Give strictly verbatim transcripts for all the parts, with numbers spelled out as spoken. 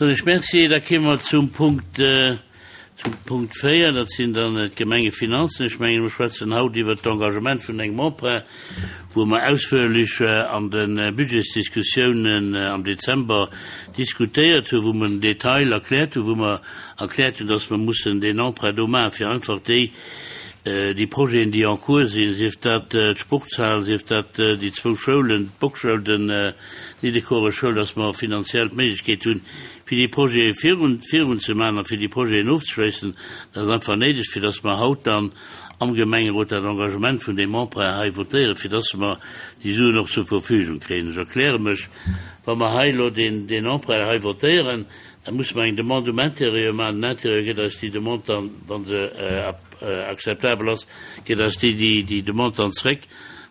Soen ech Merci. Da kéime mer zum Punkt, zum Punkt véier, dat sinn dann d'Gemengefinanzen. Ech mengen, mir schwätzen haut iwwert d'Engagement vun engem Emprunt, wou mer ausführlech an de Budgetsdiskussiounen am Dezember diskutéiert hunn, wou mer den Detail erkläert hunn, wou mer erkläert hunn, dass mer mussen deen Emprunt do maachen, fir einfach déi, déi Projeten, déi en cours sinn, sief dat d'Sportshal, sief dat déi zwou Schoulen, d'Bockschoul, den Niddekorer Schoul, dass mer finanziell d'Méiglechkeet hunn, fir déi Projete virun, virunzemaachen a fir déi Projeten ofzeschléissen. Dat ass einfach néideg, fir dass mer haut dann am Gemengerot dat Engagement vun deem Emprunt hei votéieren, fir dass mer déi Suen och zur Verfügung kréien. Ech erkläre mech, Wa mer hei elo deen, deen Emprunt hei votéieren, da musse mer eng Demande um Intérieur maachen. Den Intérieur gëtt eis déi Demande dann, wa se akzeptabel ass, gëtt eis déi, déi, déi Demande dann zréck.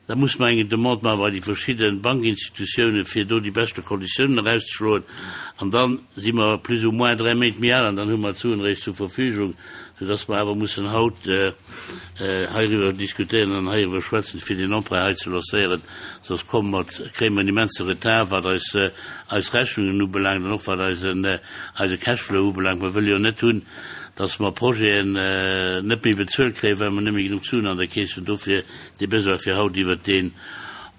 Da muss mer eng Demande maache bei déi verschidde Bankinstitutiounen, fir do déi beschte Konditiounen erauszeschloen. An da si mer plus ou moins dräi Méint méi al an dann hu mer d'Suen eréischt zur Verfügung, soudass mer awer mussen haut heiriwwer diskutéieren an heiriwwer schwätzen, fir deen Emprunt hei ze lancéieren. Soss komme mer, kréie mer en immense Retard, wat eis, eis Rechnungen ubelaangt an och wat eisen, eise Cashflow ubelaangt. Mer wëlle jo net hunn, dass mer Projeten net méi bezuelt kréien, well mer net méi genuch Suen an der Keess hunn. Dofir dee Besoin, fir haut iwwert deen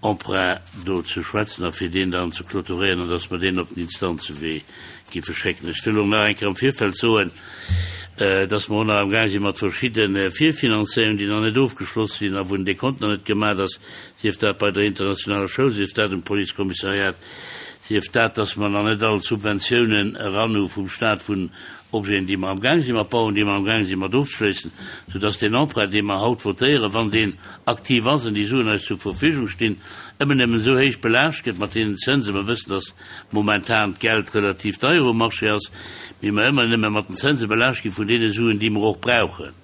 Emprunt do ze schwätzen a fir deen dann ze clôturéieren an dass mer deen op den Instanzewee géife schécken. Ech wëll och nach eng Kéier am Virfeld soen, dass mer och nach amgaang si mat verschidde Virfinanzéierungen, déi nach net ofgeschloss sinn a wou den Dekont nach net gemaach ass, sief dat bei der internationaler Schoul, sief dat um Policekommissariat, sief dat, dass mer nach net all d'Subventiounen eran hu vum Stat vun Objeten, déi mer amgaang si mat bauen, déi mer amgaang si mat ofzeschléissen, soudass deen Emprunt, dee mer haut votéieren, wann deen aktiv ass an déi Suen eis zur Verfügung stinn, ëmmer nëmmen esou héich belaascht gëtt mat deenen Zënsen. Mer wëssen, dass momentan d'Geld relativ deier um Marché ass, mee mer ëmmer nëmme mat den Zënse belaascht gi vun deene Suen, déi mer och brauchen.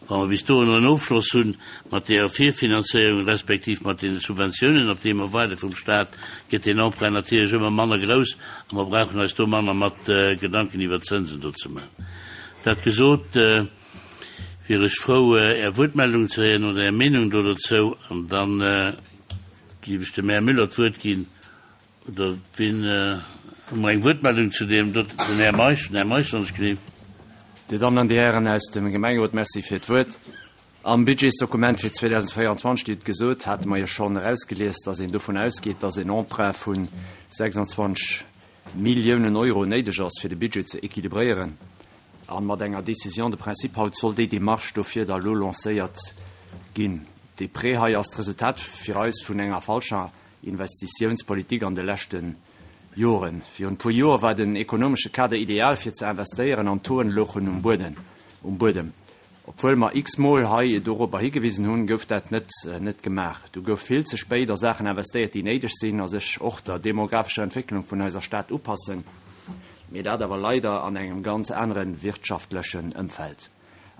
Wa mer bis dohinner en Ofschloss hunn mat deeër Virfinanzéierung respektiv mat deene Subventiounen, op déi mer waarde vum Stat, gëtt deen Emprunt natierlech ëmmer manner grouss a mer brauchen eis do manner mat Gedanken iwwert d'Zënsen do ze maachen. Dat gesot, wier ech frou, Är Wuertmeldung ze héieren oder Är Meenung do dozou an da géif ech dem Här Müller d'Wuert ginn. Oder wien, hu mer eng Wuertmeldung zu deem do? Den Här Meisch, den Här Meisch, wann ech gleef. Dir Dammen an Dir Hären aus dem Gemengerot, Merci fir d'Wuert. Am Budgetsdokument fir zweedausendvéierundzwanzeg, Dir hutt et gesot, hate mer jo schonn erausgelies, dass een dovun ausgeet, dass en Emprunt vu sechsundzwanzeg Milliounen Euro néideg ass, fir de Budget ze équilibréieren. A mat enger Décision de principe haut soll déi Démarche dofir da lo lancéiert ginn. Dee Prêt hei ass d'Resultat fir eis vun enger falscher Investitiounspolitik an de leschte Joren. Virun e puer Joer war den ekonomesche Kader ideal fir ze investéieren an d'Toen louchen um Buedem. Obwuel mer x-mol hei dorobber higewisen hunn, gouf dat net net gemaach. Du gouf vill ze spéit a Saachen investéiert, déi néideg sinn a sech och der demographescher Entwécklung vun eiser Stad upassen, mee dat awer leider an engem ganz anere wirtschaftlechen Ëmfeld.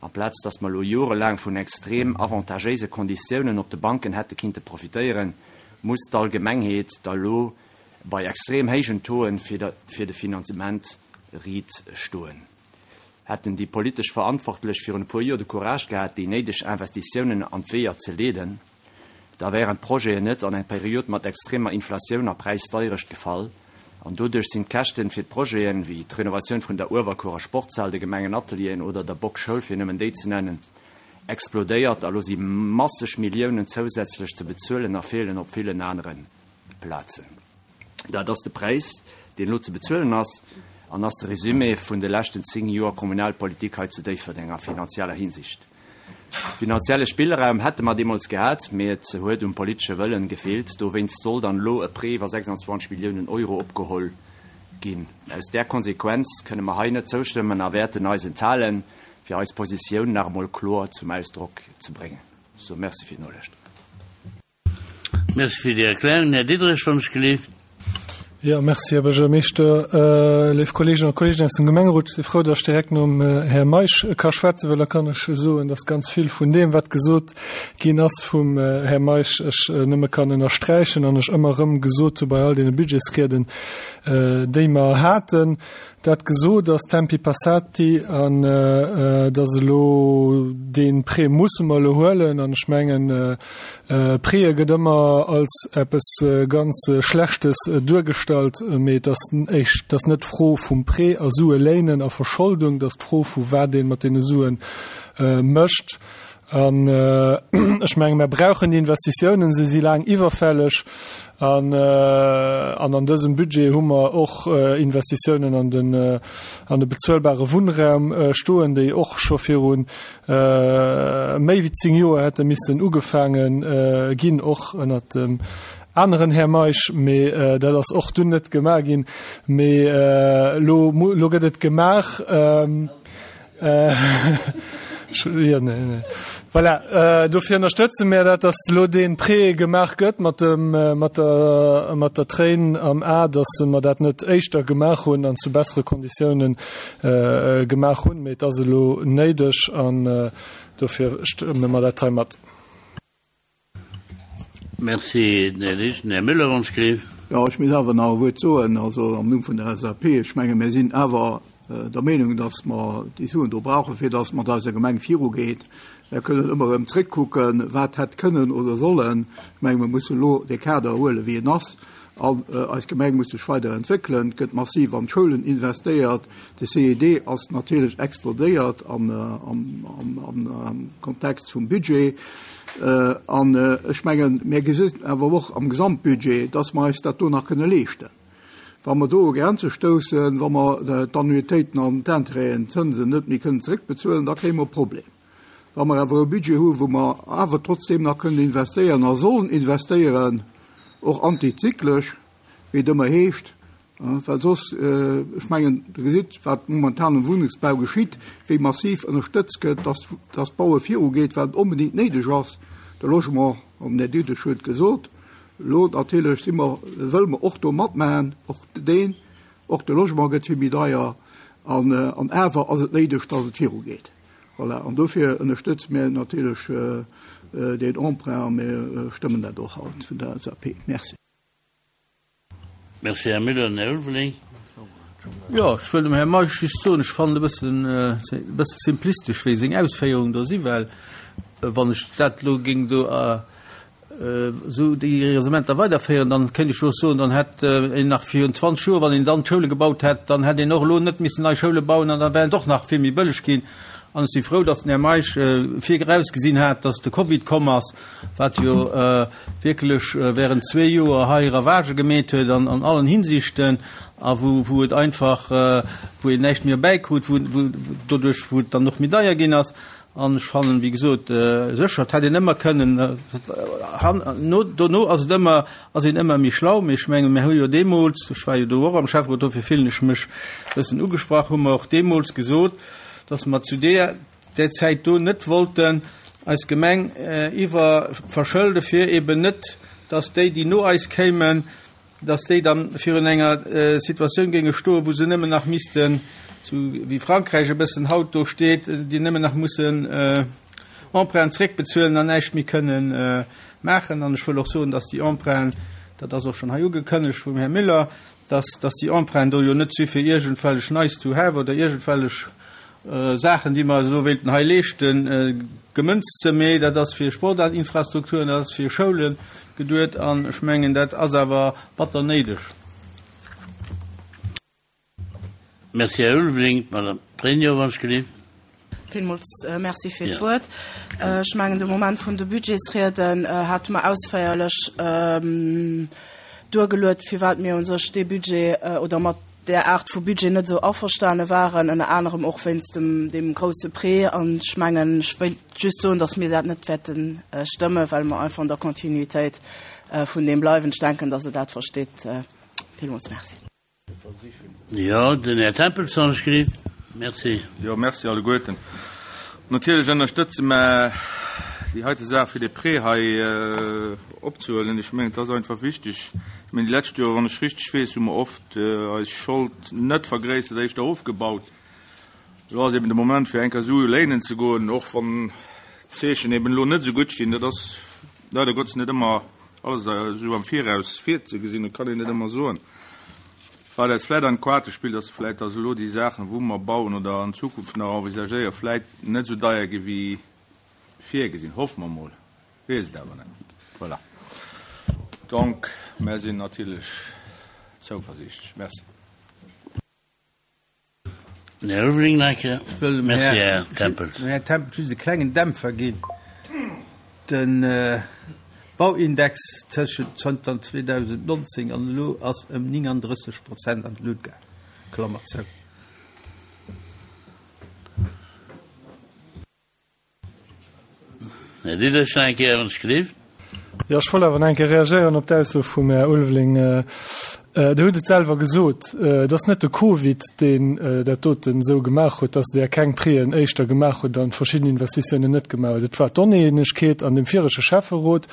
Amplaz datt mer elo jorelaang vun extrem avantagéise Konditiounen op de Banken hätte kinnte profitéieren, muss d'Allgemengheet da lo bei extrem héijen Tauxen fir de Finanzement riit stoen. Hätten déi politesch Verantwortlech virun e puer Joer de Courage gehat, déi néideg Investitiounen an d'Weeër ze leeden, da wären d'Projeten net an eng Period mat extremer Inflatioun a Präisdeierecht gefall an doduerch sinn d'Käschten fir d'Projeten, wéi d'Renovatioun vun der Uewerkuerer Sportshal, de Gemengenatelieren oder der Bock-Schoul, fir nëmmen déi ze nennen, explodéiert a lo si masseg Milliounen zousätzlech ze bezuelen a feelen op villen anere Plazen. Dat ass de Präis, deen elo ze bezuelen ass an ass de Resumé vun de leschten zéng Joer Kommunalpolitik hei zu Déifferdeng a finanzieller Hinsicht. Finanzielle Spillraum hätte mer deemools gehat, mee et huet um politesche Wëllen gefeelt. Dowéinst soll dann elo e Prêt iwwer sechsundzwanzeg Milliounen Euro opgeholl ginn. Aus där Konsequenz kënne mer hei net zoustëmmen a wäerten eis enthalen, fir eis Positioun nach emol kloer zum Ausdrock ze bréngen. Sou, Merci fir d'Nolauschtere. Merci fir déi Erklärung. Här Diderich, wann ech gelift. Jo, merci, Här Buergermeeschter. Léif Kolleeginnen a Kolleegen aus dem Gemengerot, ech si frou, datt ech direkt nom Här Meisch ka schwätzen, well da kann ech soen, datt ganz vill vun deem, wat gesot ginn ass vum Här Meisch, ech nëmme kann ënnersträichen an ech ëmmer erëm gesot hu bei all deene Budgetsrieden, déi mer haten. Dat gesot, ass tempi passati an et ass elo, dee Prêt musse mer elo huelen an ech mengen, Prêtë gëtt ëmmer als eppes ganz Schlechtes duergestallt. duergestallt, mee et ass éischt, et ass net d'Fro vum Prêt a Sue léinen a Verscholdung, et ass d'Fro vu wat ee mat deene Sue mécht. An ech menge mir brauchen déi Investitiounen, se si laang iwwerfälleg. An an an dësem Budget hu mer och Investitiounen an den an de bezuelbare Wunnraum stoen, déi och scho viru méi wéi zéng Joer hätte missen ugefaange ginn, och ënnert dem aneren Här Meisch, mee dat ass och dunn net gemaach ginn. Mee elo elo gëtt et gemaach. Voilà, dofir ënnerstëtze mir dat, dass elo dee Prêt gemaach gëtt mat dem, mat der, mat der Tréin am A, dass mer dat net éischter gemaach hunn an zu bessere Konditiounen gemaach hunn, mee et ass elo néideg an dofir stëmme mer dat hei mat. Merci, Här Lichten. Här Müller, wann ech gleef. Jo, ech misst awer nach e Wuert soen, also am Numm vun der L S A P. Ech menge mir sinn awer der Meenung, dass mer déi Suen do brauchen, fir dass et mat eiser Gemeng virugeet. Mir kënnen ëmmer erëm zréckkucken, wat hätt kënnen oder sollen. Ech menge mir mussen elo dee Kader huelen, wéi en ass. An eis Gemeng muss sech weider entwéckelen. Et gëtt massiv an d'Schoulen investéiert. De C E D ass natierlech explodéiert am Kontext vum Budget. An ech mengen, mir gesinn awer och am Gesamtbudget, dass mer eis dat do nach kënne leeschten. Wa mer do u Grenze stoussen, wa mer d'Annuitéiten an d'Intérêten, d'Zënsen net méi kënnen zeréckbezuelen, da kréie mer e Problem. Wa mer awer e Budget hu wou mer awer trotzdeem nach kënnen investéieren a sollen investéieren, och antizyklesch, wéi et ëmmer heescht, well soss, ech mengen, Der gesitt, wat momentan am Wunnengsbau geschitt, wéi massiv ënnerstëtzt gëtt, dass dass d'Baue virugeet, well et onbedéngt néideg ass. De Logement, an den Här Diderich huet gesot, elo natierlech si mer, wëlle mer och do matmaachen, och deen, och de Logement gëtt vill méi deier an an awer ass et néideg, dass et virugeet. Voilà, an dofir ënnerstëtze mir natierlech deen Emprunt a mir stëmmen dat och haut vun der L S A P. Merci. Merci, Här Müller. Här Ulveling. Jo, ech wëll dem Här Meisch just soen, ech fannen e bëssen, e bësse simplistesch, wéi seng Ausféierungen do sinn, well wann ech dat elo géing do esou déi Raisonnementer weiderféieren, dann kéint ech jo och soen, dann hätt een nach virun zwanzeg Joer, wann een dann d'Schoule gebaut hätt, dann hätt een och elo net missen nei Schoule bauen an da wär et och nach vill méi bëlleg ginn. An ech si frou, datt den Här Meisch virausgesinn hat, datt de Covid komm ass, wat jo wierklech während zwee Joer hei Ravagë gemeet huet an an allen Hinsichten a wou wou et einfach, wou een näischt méi erbäikrut, wou wou doduerch wou et dann och méi deier ginn ass. An ech fannen, wéi gesot, sécher, et hätt een ëmmer kënnen, no dono ass et ëmmer, ass een ëmmer méi schlau, mee ech mengen, mir hu jo deemools, ech war jo do och am Schäfferot, dofir fillen ech mech e bëssen ugesprach, hu mer och deemools gesot, dass mer zu deer där Zäit do net wollten eis Gemeng iwwerverschëlde fir eben net, dass déi, déi no eis kéimen, dass déi dann virun enger Situatioun géinge stoen, wou se nëmmen nach missten, sou wéi Frankräich e bëssen haut do steet, déi nëmmen nach mussen Emprunten zréckbezuelen an näischt méi kënnen maachen. An ech wëll och soen, dass déi Emprunten, dat ass och schonn hei ugekënnegt vum Här Müller, dass, dass déi Emprunten do jo net si fir iergendwellech nice to have oder iergendwellech Saachen, déi mer esou wéilten hei leeschten, gemënzt ze, mee dat ass fir Sportinfrastrukturen, dat ass fir Schoule geduet an ech mengen, dat ass awer batter néideg. Merci, Här Ulveling. Madame Pregno, wann ech gelift. Villmools Merci fir d'Wuert. Ech mengen, de Moment vun de Budgetsrieden hate mer ausféierlech duergeluet, firwat mir u sech dee Budget oder mat där Aart vu Budget net esou averstane waren, ënner anerem och wéinst dem, deem grousse Prêt. An ech mengen, ech wéilt just soen, dass mir dat net wäerte stëmmen, well mer einfach an der Kontinuitéit vun deem bleiwen. Ech denken, dass Der dat verstitt. Villmools Merci. Jo, den Här Tempels, wann ech gelift. Merci. Jo, merci alleguerten. Natierlech ënnerstëtze mer déi heite Saach fir de Prêt hei opzehuelen. Ech mengen, et ass einfach wichteg. Ech mengen, déi lescht Joer, wann ech richteg weess, hu mer oft eis Schold net vergréissert, éischter ofgebaut. Elo ass eben de Moment fir eng Kéier Sue léinen ze goen, och wann d'Zeechen eben elo net esou gutt stinn. Dat ass leider Gottes net ëmmer alles esou am Viraus virzegesinn, dat kann een net ëmmer soen. Wat eis vläit an d'Kaarte spillt, ass vläit, dass elo déi Saachen, wou mer bauen oder an Zukunft nach envisagéieren, vläit net esou deier gi wéi virgesinn. Hoffe mer mol, weess et awer net. Voilà. Donc, mer sinn natierlech zouversiichtlech. Merci. Här Ulveling nach eng Kéier. Ech wëll dem Merci, Här Här Tempels. Dem Här Tempels just e klengen Dämpfer ginn. De Bauindex tëschent zënter zweedausendnonzéng an elo ass ëm nénganddrësseg Prozent an d'Lut gaang. Klammer zou. Här Diderich nach eng Kéier, wann ech gelift. Jo, ech wollt awer nach eng Kéier reagéieren op d'Ausso vum Här Ulveling. Dir hutt et selwer gesot, et ass net de Covid, deen dat doten esou gemaach huet, dass Der keng Préen éischter gemaach hutt an verschidden Investitiounen net gemaach hutt. Et war d'Oneenegkeet an dem viregte Schäfferot,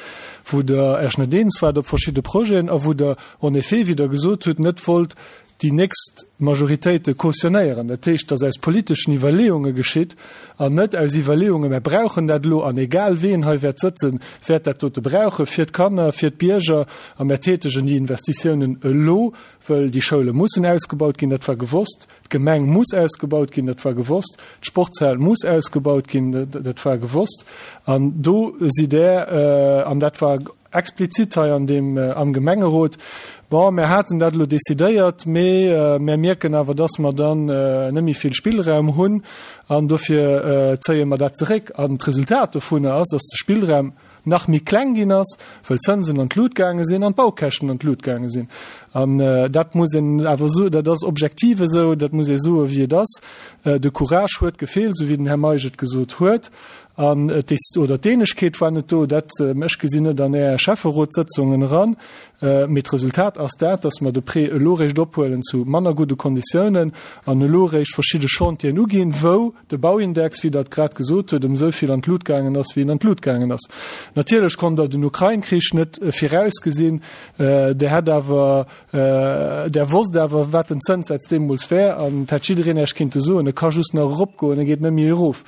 wou Der Iech net eens waart op verschidde Projeten a wou Der en effet, wéi Der gesot hutt, net wollt déi nächst Majoritéite cautionnéieren. Dat heescht, dass aus politeschen Iwwerleeunge geschitt an net aus Iwwerleeunge, mär brauchen dat elo an egal ween hei wäert sëtzen, wäert dat dote brauche fir d'Kanner, fir d'Bierger a mär tätegen déi Investitiounen elo, wëll déi Schoule mussen ausgebaut ginn, dat war gewosst, d'Gemeng muss ausgebaut ginn, dat war gewosst, d'Sportshal muss ausgebaut ginn, dat war gewosst. An do sidd Der, an dat war explizit hei an deem, am Gemengerot, Bon, mär haten dat elo decidéiert, mee mär mierken awer, dass mer dann net méi vill Spillraum hunn an dofir zéie mer dat zeréck. An d'Resultat dovunner ass, dass de Spillraum nach méi kleng ginn ass, wëll d'Zënsen an d'Lut gaange sinn an d'Baukäschten an d'Lut gaange sinn. An dat muss een awer soen, dat ass objektiv esou, dat muss ee soen, wéi et ass. De Courage huet gefeelt, esou wéi den Här Meisch et gesot huet. An d'Es-, oder d'Eenegkeet war net do, dat, ech gesinn net an Är Schäfferotssëtzungen eran, mee d'Resultat ass dat, dass mer de Prêt elo réischt ophuelen zu manner gudde Konditiounen an elo réischt verschidde Chantieren uginn, wou de Bauindex, wéi Der et grad gesot hutt, ëm esou vill an d'Lut gaangen ass, wéi en an d'Lut gaangen ass. Natierlech konnt Der den Ukrain-Krich net virausgesinn, Der hätt awer, Der wosst awer, wat den Zënssaz deemools wär an et hätt jiddereen Iech kinnte soen, e ka just nach eropgoen, e geet net méi erof.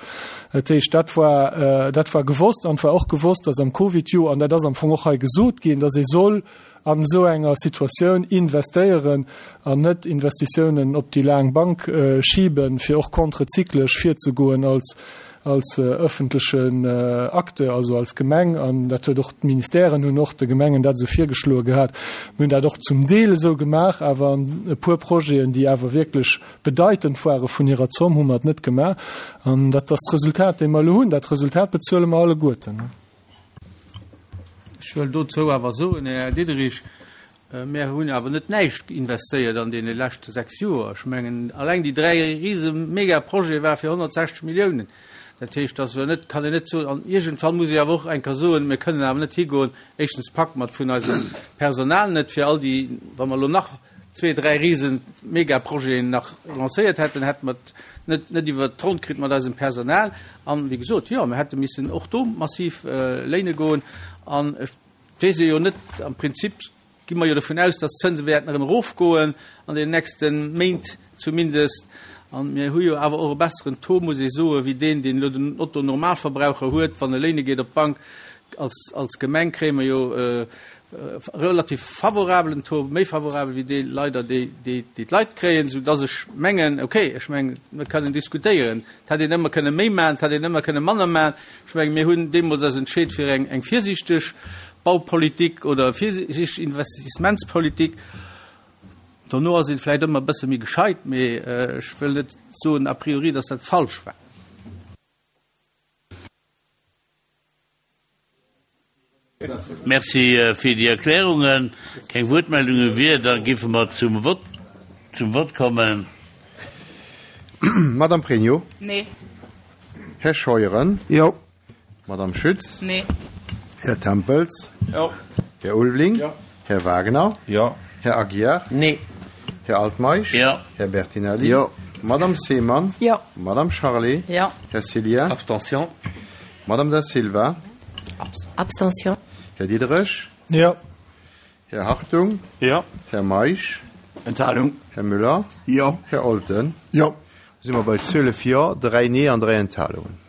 Dat heescht, dat war, dat war gewosst an et war och gewosst, dass am Covid-Joer, an dat ass am Fong och hei gesot ginn, dass ee soll an esou enger Situatioun investéieren an net Investitiounen op déi laang Bank schiben, fir och kontrezyklesch virzegoen als, als öffentlechen Acteur, also als Gemeng. An dat huet och d'Ministèren hunn och de Gemengen dat esou virgeschloe gehat. Mir hunn dat och zum Deel esou gemaach, awer an e puer Projeten, déi awer wierklech bedeitend ware vun hirer Zomm, hu mer et net gemaach. An dat ass d'Resultat, dee mer elo hunn. Dat Resultat bezuele mer alleguerten. Ech wëll dozou awer soen, Här Diderich, mir hunn awer net näischt investéiert an deene leschte sechs Joer. Ech mengen, alleng déi dräi riese Megaprojete war fir honnertsechzeg Milliounen. Dat heescht, dass wir net, kann een net soen, an iergendwann muss ech awer och eng Kéier soen, mir kënnen awer net higoen, éischtens packe mer et vun eisem Personal net fir all déi, wa mer elo nach zwee, dräi riesen Megaprojeten nach lancéiert hätten, hätte mer et net, net iwwert d'Ronn kritt mat eisem Personal. An wéi gesot, jo, mir hätte missen och do massiv léine goen. An ech weess jo net, am Prinzip gi mer jo dovun aus, dass d'Zënse wäerten erëm erofgoen an den nächste Méint zumindest. An mir hu jo awer och e besseren Taux, muss ee soen, wéi deen, deen elo den Otto-Normalverbraucher huet, wann e léine geet op d'Bank. Als, als Gemeng kréie mer jo e relativ favorabelen Taux, méi favorabel wéi dee leider, dee, dee, dee d'Leit kréien, soudass ech mengen, okay, ech mengen, mir kënnen diskutéieren. Et hätt een ëmmer kënne méi maachen, et hätt een ëmmer kënne manner maachen. Ech mengen, mir hunn deemools eis entscheet fir eng, eng virsiichteg Baupolitik oder virsiichteg Investissementspolitik. Dono ass een vläicht ëmmer e bësse méi gescheit, mee ech wëll net soen a priori, dass dat falsch war. Merci fir déi Erklärungen. Keng Wuertmeldunge wier, da géife mer zum Vott, zum Vott kommen. Madame Pregno? Nee. Här Scheuren? Jo. Madame Schütz? Nee. Här Tempels? Jo. Här Ulveling? Jo. Här Wagner? Jo. Här Aguiar? Nee. Här Altmeisch? Jo. Här Bertinelli? Jo. Madame Seemann? Jo. Madame Charlé? Jo. Här Cilien? Abstention. Madame Da Silva? Abstention. Här Diderich? Jo. Här Hartung? Jo. Här Meisch? Enthalung. Här Müller? Jo. Här Olten? Jo. Si mer bei zwielef Jo, dräi Nee an dräi Enthalungen.